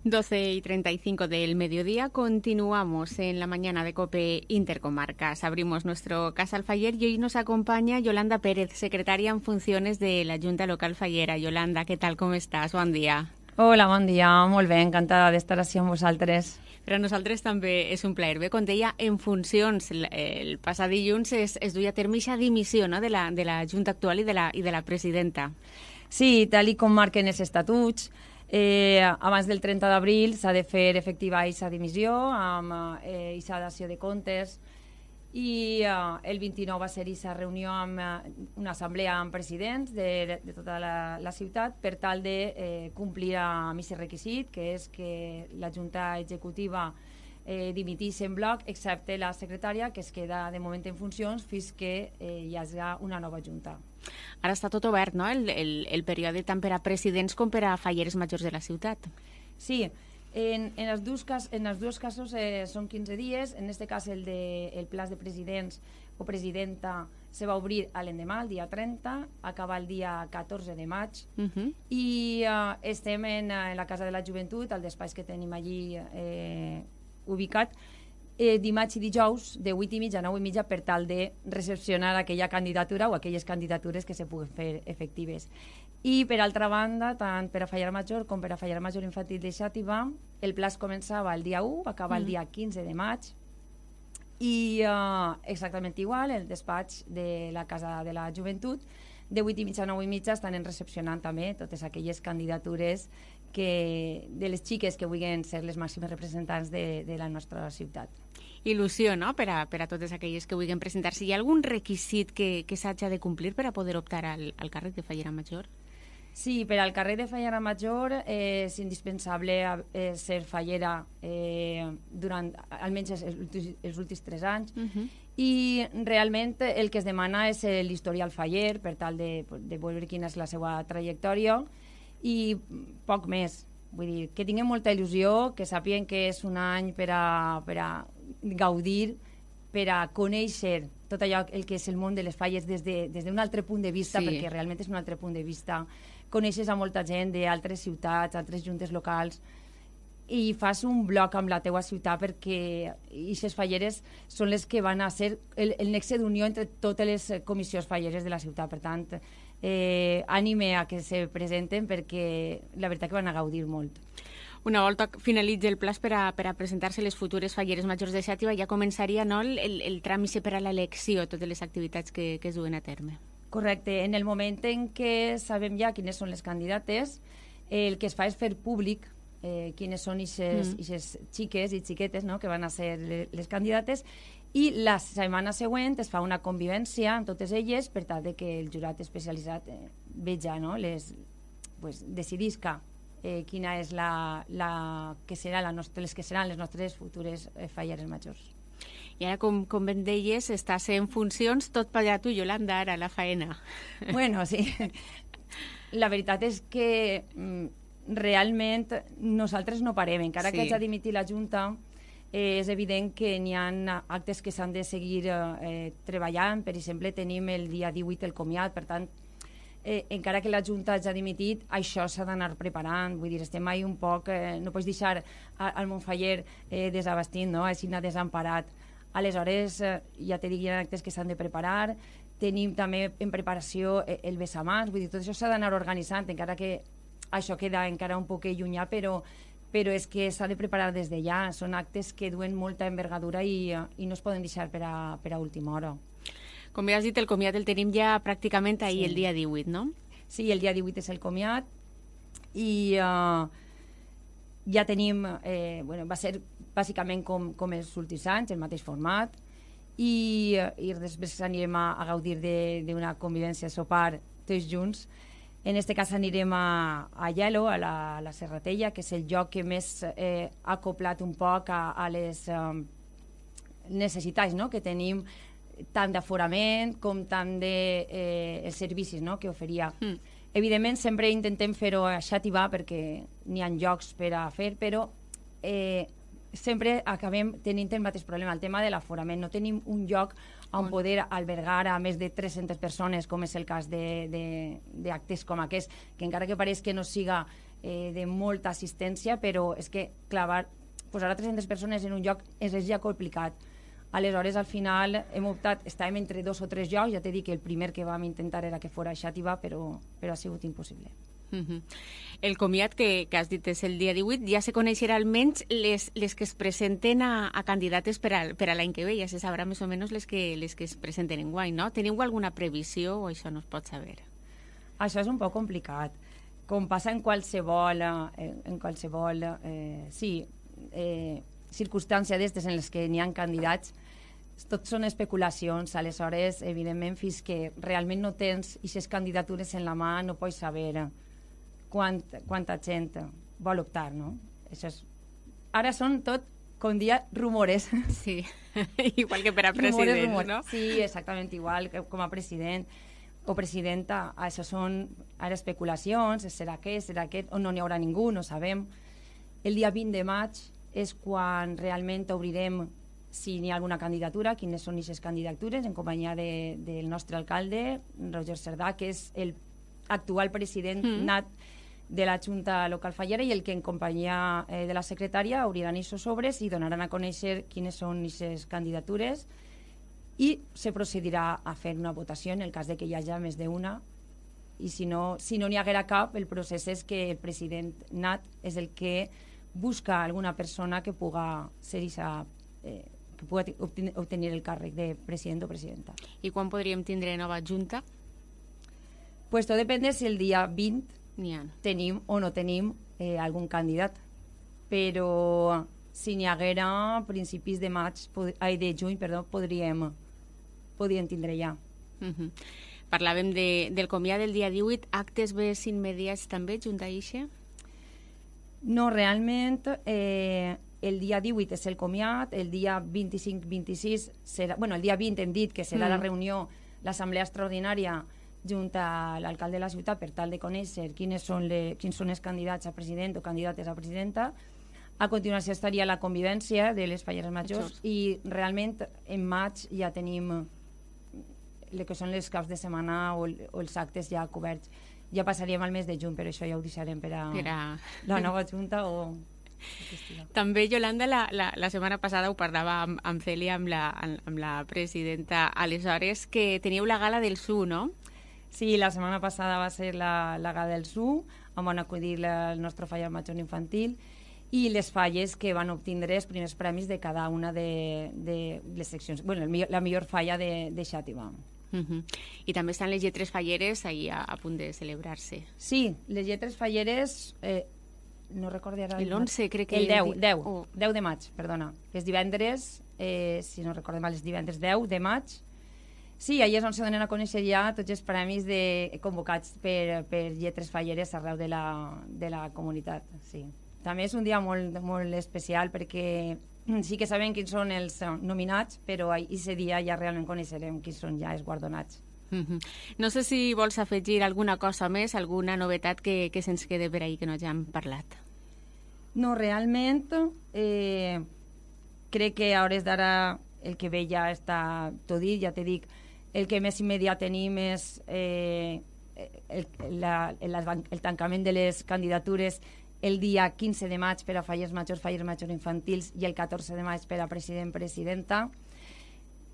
12:35 del mediodía, continuamos en la mañana de COPE Intercomarcas. Abrimos nuestro Casal Faller y hoy nos acompaña Yolanda Pérez, secretaria en funciones de la Junta Local Fallera. Yolanda, ¿qué tal? ¿Com estàs? Bon dia. Hola, bon dia. Molt bé, encantada d'estar així amb vosaltres. Per a nosaltres també és un plaer. Bé, com deia, en funcions, el passat dilluns es duia a terme aquesta dimissió, no?, de la Junta actual i de la presidenta. Sí, tal com marquen els estatuts, abans del 30 d'abril s'ha de fer efectiva aquesta dimissió amb aquesta dació de comptes i el 29 va ser aquesta reunió amb una assemblea amb presidents de tota la ciutat per tal de complir amb aquest requisit, que és que la Junta Executiva dimitís en bloc, excepte la secretària, que es queda de moment en funcions fins que hi hagi una nova Junta. Ara està tot obert, no?, el període tant per a presidents com per a falleres majors de la ciutat. Sí, en els dos casos són 15 dies. En aquest cas el plaç de presidents o presidenta se va obrir l'endemà, el dia 30, acaba el dia 14 de maig, i estem en la Casa de la Joventut, al despatx que tenim allí ubicat, dimarts i dijous de 8:30 a 9:30 per tal de recepcionar aquella candidatura o aquelles candidatures que se puguen fer efectives. I per altra banda, tant per a Fallera Major com per a Fallera Major Infantil de Xàtiva, el plaç començava el dia 1, acaba el dia 15 de maig, i exactament igual, el despatx de la Casa de la Joventut, de 8:30 a 9:30 estan recepcionant també totes aquelles candidatures de les xiques que vulguin ser les màximes representants de la nostra ciutat. Il·lusió, no?, per a totes aquelles que vulguin presentar-se. Hi ha algun requisit que s'hagi de complir per a poder optar al càrrec de Fallera Major? Sí, per al càrrec de Fallera Major és indispensable ser fallera durant almenys els últims 3 anys, i realment el que es demana és l'historial faller per tal de veure quina és la seva trajectòria i poc més. Vull dir, que tinguin molta il·lusió, que sàpiguen que és un any per a gaudir, per a conèixer tot allò el que és el món de les falles des d'un altre punt de vista, perquè realment és un altre punt de vista. Coneixes a molta gent d'altres ciutats, altres juntes locals, i fas un bloc amb la teua ciutat, perquè aquestes falleres són les que van a ser el nexe d'unió entre totes les comissions falleres de la ciutat. Per tant, ànime a que se presenten, perquè la veritat que van a gaudir molt. Una volta finalitzi el plaç per a presentar-se les futures falleres majors de Xàtiva, ja començaria, no, el tràmit per a l'elecció, totes les activitats que es duen a terme. Correcte. En el moment en què sabem ja quines són les candidates, el que es fa és fer públic quines són aquestes xiques i xiquetes, no?, que van a ser les candidates, i la setmana següent es fa una convivència amb totes elles per tal de que el jurat especialitzat veja, no?, decidisca quina és les que seran les nostres futures falleres majors. I ara, com ben deies, estàs en funcions, tot pagat tu, Yolanda, ara, la faena. Bueno, sí. La veritat és que realment nosaltres no parem. Encara que hagi dimitit la Junta, és evident que n'hi ha actes que s'han de seguir treballant. Per exemple, tenim el dia 18 el comiat, per tant, encara que la Junta hagi dimitit, això s'ha d'anar preparant. Vull dir, estem mai un poc... no pots deixar al Montfaller desabastint, no?, així desemparat. Aleshores, ja te dic, hi ha actes que s'han de preparar. Tenim també en preparació el besamans. Vull dir, tot això s'ha d'anar organitzant, encara que això queda encara un poc llunyà, però és que s'ha de preparar des de ja. Són actes que duen molta envergadura i no es poden deixar per a última hora. Com ja has dit, el comiat el tenim ja pràcticament ahir, el dia 18, no? Sí, el dia 18 és el comiat i ja tenim... va ser bàsicament com els últims anys, el mateix format, i després anirem a gaudir d'una convivència a sopar tots junts. En aquest cas anirem a Aielo, a la Serratella, que és el lloc que més ha acoplat un poc a les necessitats, no?, que tenim, tant d'aforament com tant de servicis, no?, que oferia. Evidentment, sempre intentem fer-ho a Xàtiva perquè n'hi ha llocs per a fer, però sempre acabem tenint el mateix problema, el tema de l'aforament. No tenim un lloc on poder albergar a més de 300 persones, com és el cas d'actes com aquest, que encara que pareix que no siga de molta assistència, però és que posar a 300 persones en un lloc és ja complicat. Aleshores, al final, hem optat, estàvem entre 2 o 3 llocs, ja t'he dit que el primer que vam intentar era que fos a Xàtiva, però ha sigut impossible. El comiat que has dit és el dia 18, ja se coneixerà almenys les que es presenten a candidates per a l'any que ve, ja se sabrà més o menys les que es presenten enguany, no? Teniu alguna previsió o això no es pot saber? Això és un poc complicat. Com passa en qualsevol circumstància d'estes en les que n'hi ha candidats, tot són especulacions. Aleshores, evidentment, fins que realment no tens aquestes candidatures en la mà, no pots saber quanta gent vol optar, no? Ara són tot, com dia, rumores. Sí, igual que per a president, rumores. No? Sí, exactament igual que com a president o presidenta. Això són ara especulacions, serà aquest, o no n'hi haurà ningú, no sabem. El dia 20 de maig és quan realment obrirem si n'hi ha alguna candidatura, quines són aquestes candidatures, en companyia del nostre alcalde, Roger Cerdà, que és l'actual president nat de la Junta Local Fallera, i el que en companyia de la secretària obriran aquests sobres i donaran a conèixer quines són aquestes candidatures, i se procedirà a fer una votació en el cas de que hi hagi més d'una, i si no n'hi haguera cap, el procés és que el president nat és el que busca alguna persona que puga ser que puga obtenir el càrrec de president o presidenta. I quan podríem tindre nova junta? Pues tot depèn de si el dia 20 tenim o no tenim algun candidat. Però si n'hi haguera a principis de juny, podríem tindre ja. Parlàvem del comiat del dia 18, actes més immediats també, junt a ixe? No, realment, el dia 18 és el comiat, el dia 25-26 serà... Bueno, el dia 20 hem dit que serà la reunió, l'assemblea extraordinària junt a l'alcalde de la ciutat per tal de conèixer quins són els candidats a president o candidates a presidenta. A continuació estaria la convivència de les falleres majors i realment en maig ja tenim el que són les caps de setmana o els actes ja coberts. Ja passaríem al mes de juny, però això ja ho deixarem per a la nova junta o... També, Yolanda, la setmana passada ho parlava amb Cèlia, amb la presidenta, aleshores, que teníeu la gala del SU, no? Sí, la setmana passada va ser la gala del SU, on van acudir el nostre fallar major infantil i les falles que van obtindre els primers premis de cada una de les seccions. Bueno, la millor falla de Xàtiva. I també estan les lletres falleres ahí a punt de celebrar-se. Sí, les lletres falleres... no recordo ara... L'11, crec que... El 10 de maig, perdona. Els divendres, si no recordo mal, els divendres 10 de maig. Sí, allà és on se donen a conèixer ja tots els premis convocats per lletres falleres arreu de la comunitat. Sí. També és un dia molt, molt especial perquè sí que sabem quins són els nominats, però aquest dia ja realment coneixerem quins són ja els guardonats. No sé si vols afegir alguna cosa més, alguna novetat que se'ns quede per ahí que no ja hem parlat. No, realment crec que a hores d'ara el que ve ja està tot dit, ja t'he dit, el que més immediat tenim és el tancament de les candidatures el dia 15 de maig per a fallers majors infantils i el 14 de maig per a president-presidenta.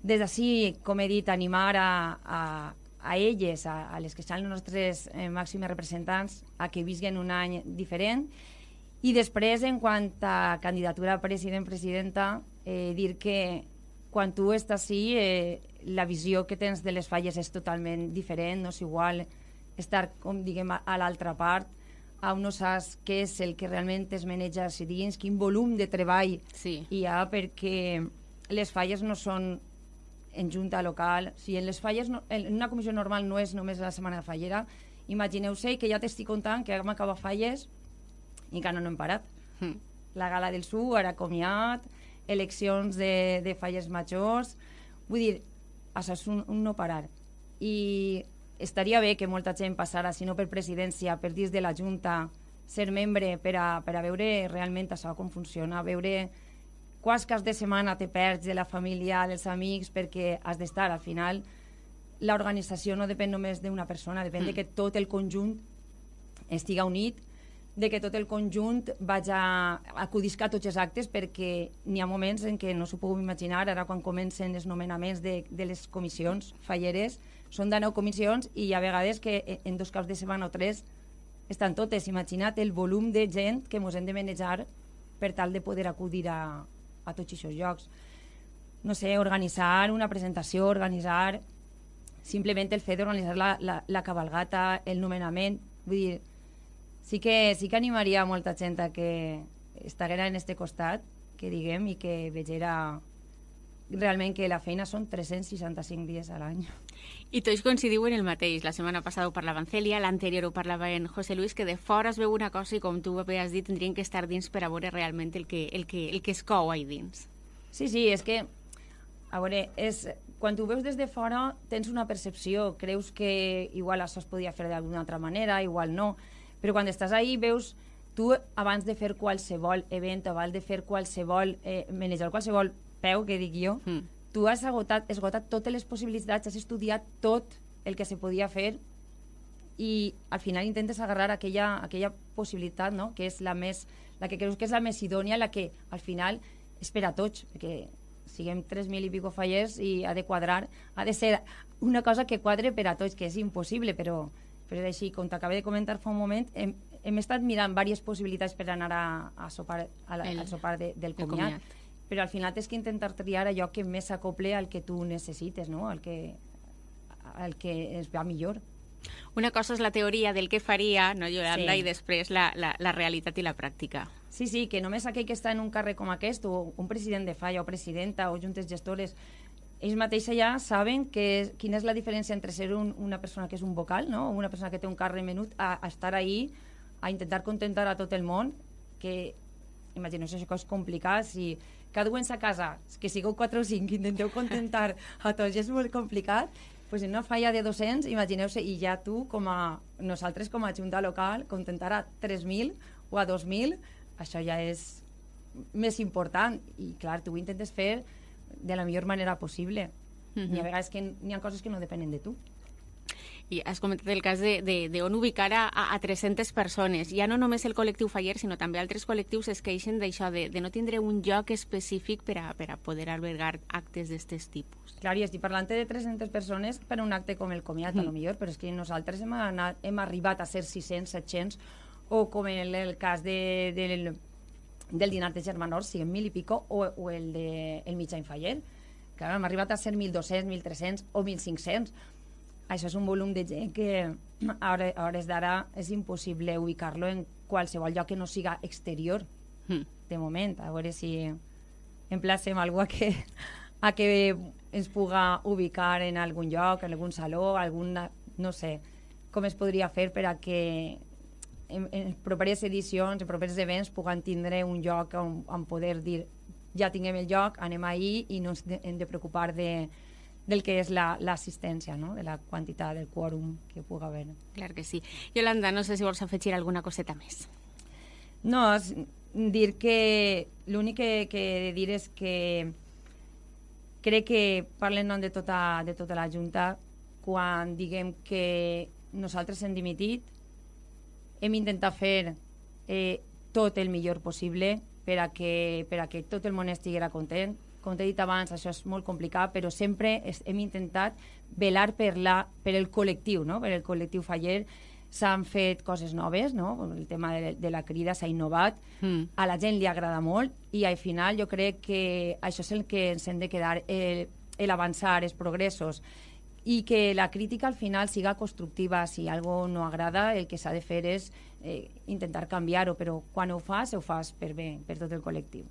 Des d'ací, com he dit, animar a elles, a les que són els nostres màxims representants, a que visquen un any diferent. I després, en quant a candidatura a president-presidenta, dir que quan tu estàs ací, la visió que tens de les falles és totalment diferent, no és igual estar, com diguem, a l'altra part, on no saps què és el que realment es maneja a dins, quin volum de treball hi ha, perquè les falles no són en junta local. Si en les falles, en una comissió normal no és només la setmana fallera, imagineu-se que ja t'estic contant que hem acabat falles i encara no hem parat. La gala del SU, ara comiat, eleccions de falles majors, vull dir, això és un no parar. I estaria bé que molta gent passara, si no per presidència, per dins de la Junta, ser membre per a veure realment això com funciona, veure quants caps de setmana te perds de la família, dels amics, perquè has d'estar. Al final, l'organització no depèn només d'una persona, depèn de que tot el conjunt estiga unit de que tot el conjunt acudisca a tots els actes, perquè n'hi ha moments en què no s'ho puc imaginar, ara quan comencen els nomenaments de les comissions falleres, són de 9 comissions i hi ha vegades que en 2 caps de setmana o 3 estan totes. Imagina't el volum de gent que ens hem de manejar per tal de poder acudir a tots aquests llocs. No sé, organitzar una presentació, organitzar simplement el fet d'organitzar la cabalgata, el nomenament, vull dir, sí que animaria a molta gent a que estiguera en este costat, que diguem, i que vegera realment que la feina són 365 dies a l'any. I tots coincidiu en el mateix. La setmana passada ho parlava en Cèlia, l'anterior ho parlava en José Luis, que de fora es veu una cosa i, com tu havies dit, tindrien que estar dins per a veure realment el que es cou ahí dins. Sí, és que, a veure, quan tu veus des de fora tens una percepció, creus que igual això es podia fer d'alguna altra manera, igual no, però quan estàs ahí veus, tu abans de fer qualsevol event, abans de fer qualsevol, manejar qualsevol peu, que dic jo, tu has esgotat totes les possibilitats, has estudiat tot el que se podia fer i al final intentes agarrar aquella possibilitat, no? Que és la que creus que és la més idònia, la que al final és per a tots, perquè siguem 3.000 i pico fallers i ha de quadrar, ha de ser una cosa que quadre per a tots, que és impossible, però és així. Com t'acabo de comentar fa un moment, hem estat mirant diverses possibilitats per anar a sopar, al sopar del comiat, però al final tens que intentar triar allò que més s'acople al que tu necessites, no? al que es va millor. Una cosa és la teoria del que faria, no, Yolanda, sí, i després la realitat i la pràctica. Sí, que només aquell que està en un càrrec com aquest, o un president de falla, o presidenta, o juntes gestores, ells mateixos ja saben quina és la diferència entre ser una persona que és un vocal, no? O una persona que té un càrrec menut, a estar ahí, a intentar contentar a tot el món, que imagineu si això és complicat, si cada un en sa casa, que sigueu 4 o 5, intenteu contentar a tots, és molt complicat, pues en una falla de 200, imagineu-se, i ja tu, nosaltres com a junta local, contentar a 3.000 o a 2.000, això ja és més important, i clar, tu ho intentes fer de la millor manera possible. Hi ha vegades que n'hi ha coses que no depenen de tu. I has comentat el cas d'on ubicar a 300 persones. Ja no només el col·lectiu faller, sinó també altres col·lectius es queixen d'això, de no tindre un lloc específic per a poder albergar actes d'aquest tipus. Clar, i estic parlant de 300 persones per un acte com el comiat, a lo millor, però és que nosaltres hem arribat a ser 600, 700, o com en el cas del dinar de germanors, siguem 1.000 i pico, o el mitjà faller. Clar, hem arribat a ser 1.200, 1.300 o 1.500. Això és un volum de gent que a hores d'ara és impossible ubicar-lo en qualsevol lloc que no siga exterior, de moment. A veure si emplacem algú a que ens puga ubicar en algun lloc, en algun saló, no sé, com es podria fer per a que en properes edicions, en properes events, puguen tindre un lloc on poder dir ja tinguem el lloc, anem ahir i no ens hem de preocupar del que és l'assistència, no? De la quantitat, del quòrum que pugui haver. Clar que sí. Yolanda, no sé si vols afegir alguna coseta més. No, dir que l'únic que he de dir és que crec que parlen de tota la Junta quan diguem que nosaltres hem dimitit, hem intentat fer tot el millor possible per a que tot el món estiguera content. Com t'he dit abans, això és molt complicat, però sempre hem intentat velar per el col·lectiu, no? Per el col·lectiu faller. S'han fet coses noves, no? El tema de la crida s'ha innovat, a la gent li agrada molt, i al final jo crec que això és el que ens hem de quedar, l'avançar, els progressos, i que la crítica al final siga constructiva. Si algo no agrada, el que s'ha de fer és intentar canviar-ho, però quan ho fas per bé, per tot el col·lectiu.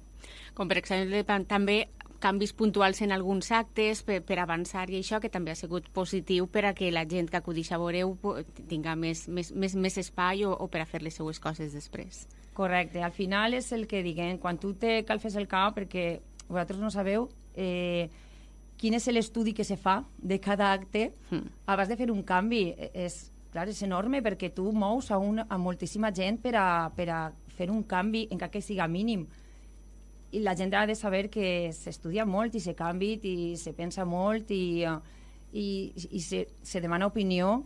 Com per exemple també canvis puntuals en alguns actes per avançar, i això que també ha sigut positiu per a que la gent que acudix a veure-ho tinga més espai o per a fer les seues coses després. Correcte, al final és el que diguem, quan tu te calfes el cap, perquè vosaltres no sabeu quin és l'estudi que se fa de cada acte abans de fer un canvi. Clar, és enorme, perquè tu mous a moltíssima gent per a fer un canvi, encara que siga mínim. I la gent ha de saber que s'estudia molt i se canvia i se pensa molt i se demana opinió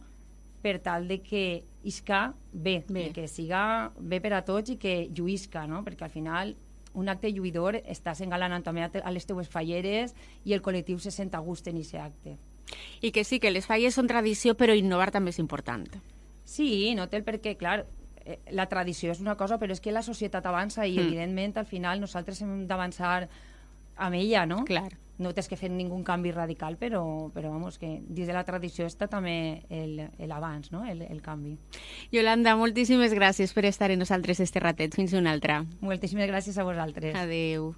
per tal de que isca bé, i que siga bé per a tots i que lluïsca, no? Perquè al final un acte lluïdor estàs engalanant també a les teues falleres i el col·lectiu se sent a gust en aquest acte. I que sí, que les falles són tradició, però innovar també és important. Sí, no té el perquè, clar, la tradició és una cosa, però és que la societat avança i, evidentment, al final nosaltres hem d'avançar amb ella, no? Clar. No tens que fer ningú canvi radical, però vamos, que dins de la tradició està també l'abans, no? El canvi. Yolanda, moltíssimes gràcies per estar amb nosaltres este ratet. Fins una altra. Moltíssimes gràcies a vosaltres. Adeu.